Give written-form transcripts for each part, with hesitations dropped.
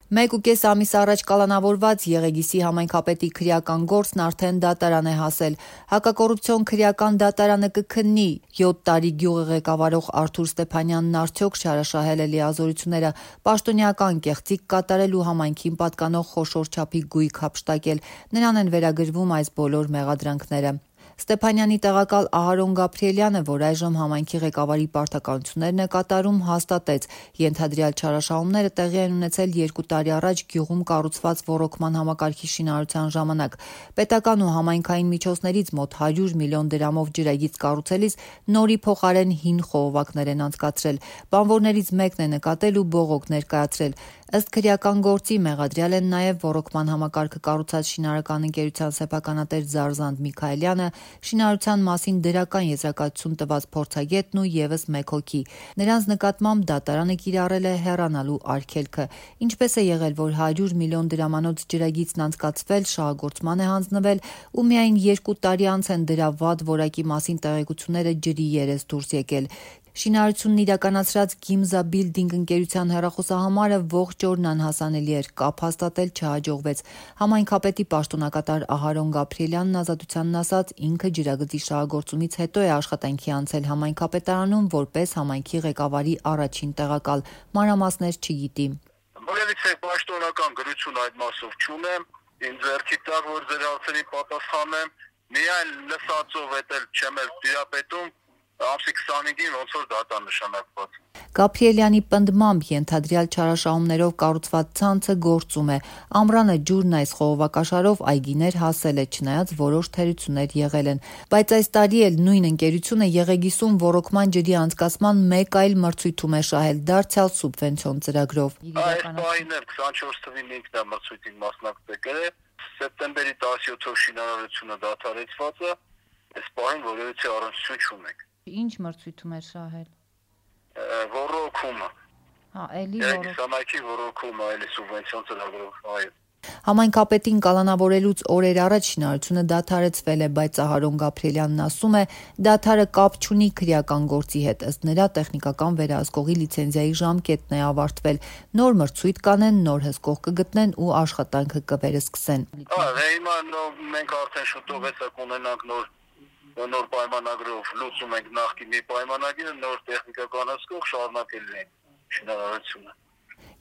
1.5 ամիս առաջ կալանավորված Եղեգիսի համայնքապետի քրեական գործն արդեն դատարան է հասել։ Հակակոռուպցիոն քրեական դատարանը կքննի 7 տարի գյուղը ղեկավարող Արթուր Ստեփանյանն արդյոք չարաշահել է լիազորությունները, պաշտոնյական կեղծիք կատարել ու համայնքին պատկանող խոշոր չափի գույք հափշտակել։ Նրան են վերագրվում այս բոլոր մեղադրանքները։ Ստեփանյանի տեղակալ Ահարոն Գաբրիելյանը, որ այժմ համայնքի ղեկավարի պարտականություններն է կատարում, հաստատեց, ենթադրյալ չարաշահումները տեղի են ունեցել 2 տարի առաջ գյուղում կառուցված ոռոգման համակարգի շինարարության ժամանակ։ Պետական ու համայնքային միջոցներից մոտ 100 միլիոն դրամով ջրագիծ կառուցելիս նորի փոխարեն հին խողովակներ են անցկացրել։ Բանվորներից մեկն է նկատել ու բողոք ներկայացրել։ Ըստ քրեական գործի մեղադրյալ են նաև ոռոգման համակարգը կառուցած շինարարական ընկերության սեփականատեր Զարզանդ Միքայելյանը, շինարարության մասին դրական եզրակացություն տված փորձագետն ու ևս մեկ հոգի։ Նրանց նկատմամբ դատարանը կիրառել է հեռանալու արգելքը։ Ինչպես է եղել, որ 100 միլիոն դրամանոց ջրագիծն անցկացվել, շահագործման է հանձնվել ու միայն 2 տարի անց են դրա վատ որակի մասին տեղեկությունները ջրի երես դուրս եկել։ Շինարարությունն իրականացրած Գիմզա Բիլդինգ ընկերության հեռախոսահամարը ողջ օրն անհասանելի էր, կապ հաստատել չհաջողվեց։ Համայնքապետի պաշտոնակատար Ահարոն Գաբրիելյանն ազատությանն ասաց, ինքը ջրագծի շահագործումից հետո է աշխատանքի անցել համայնքապետարանում որպես համայնքի ղեկավարի առաջին տեղակալ։ Մանրամասներ չգիտի։ Որևիցե պաշտոնական գրություն այդ մասով չունեմ, ինձ ձեռքի տակ, որ ձեր հարցերին պատասխանեմ, միայն լսածով էտել չեմ էլ տիրապետում, ամսի 25-ին ոնց որ դատա նշանակված։ Գաբրիելյանի պնդմամբ ենթադրյալ չարաշահումներով կառուցված ցանցը գործում է։ Ամռանը ջուրն այս խողովակաշարով այգիներ հասել է, չնայած որոշ թերություններ եղել են։ Բայց այս տարի էլ նույն ընկերությունը Եղեգիսում ոռոգման ջրի անցկացման մեկ այլ մրցույթում է շահել, դարձյալ սուբվենցիոն ծրագրով։ Այս պահին էլ 24 թվին ինքն է մրցույթին մասնակցել է, սեպտեմբերի 17-ով շինարարությունը դադարեցված է, այս պահին որևիցե առնչություն չունենք։ Ինչ մրցույթում է շահել։ Ոռոգումը։ Էլի Եղեգիսամայքի ոռոգումը, էլի սուբվենցիոն ծրագրով, այո։ Համայնքապետին կալանավորելուց օրեր առաջ շինարարությունը դադարեցվել է, բայց Ահարոն Գաբրիելյանն ասում է, դադարը կապ չունի քրեական գործի հետ, ըստ նրա տեխնիկական վերահսկողի լիցենզիայի ժամկետն է ավարտվել, նոր մրցույթ կանեն, նոր հսկող կգտնեն ու աշխատանքը կվերսկսեն։ Հիմա մենք արդեն շուտով հեսա կունենանք նոր պայմանագրով լուծում ենք նախկինի պայմանագիրը, նոր տեխնիկական հսկող շարունակելու են շինարարությունը։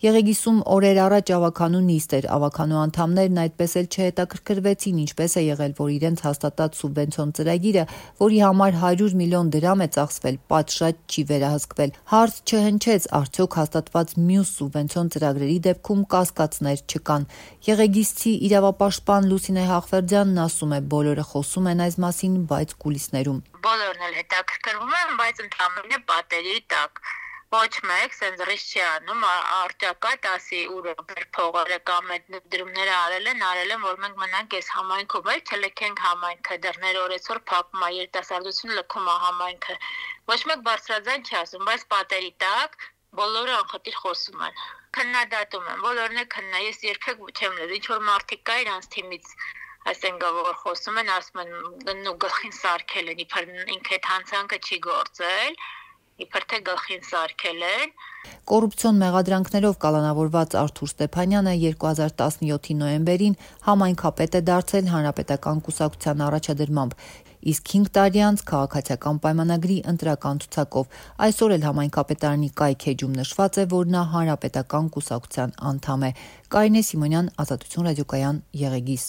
Եղեգիսում օրեր առաջ ավականու նիստ էր, ավականու անդամներն այդպես էլ չհետաքրքրվեցին, ինչպես է եղել, որ իրենց հաստատած սուբվենցիոն ծրագիրը, որի համար 100 միլիոն դրամ է ծախսվել, պատշաճ չի վերահսկվել։ Հարց չհնչեց, արդյոք հաստատված մյուս սուբվենցիոն ծրագրերի դեպքում կասկածներ չկան։ Եղեգիսցի իրավապաշտպան Լուսինե Հաղվերդյանն ասում է, բոլորը խոսում են այս մասին, բայց կուլիսներում։ Բոլորն էլ հետաքրքրվում են, բայց ընդհանրապես պատերի տակ։ Ոչ մեկ սենց ռիսկ չի անում, արտակայ ասի ուր փողերը կամ այդ դրումները արել են, որ մենք մնանք այս համայնքում, էլ չլքենք համայնքը, դռները օրեցօր փակում է, երիտասարդությունը լքում է համայնքը։ Ոչ մեկ բարձրաձայն չի ասում, բայց պատերի տակ բոլորը անխտիր խոսում են։ Քննադատում են, բոլորն է քննա, ես երբեք չեմ լսել, ինչ որ մարդիկ կա իրանց թիմից այսինքն որ խոսում են, ասում են նու գլխին սարքել են, իբր ինքը այդ հանցանքը չի գործել։ Իբր թե գլխին սարքել են։ Կոռուպցիոն մեղադրանքներով կալանավորված Արթուր Ստեփանյանը 2017-ի նոյեմբերին համայնքապետ է դարձել Հանրապետական կուսակցության առաջադրմամբ, իսկ 5 տարի անց քաղաքացիական պայմանագրի ընտրական ցուցակով։ Այսօր էլ համայնքապետարանի կայքեջում նշված է, որ նա Հանրապետական կուսակցության անդամ է։ Կարինե Սիմոնյան, Ազատություն ռադիոկայան, Եղեգիս։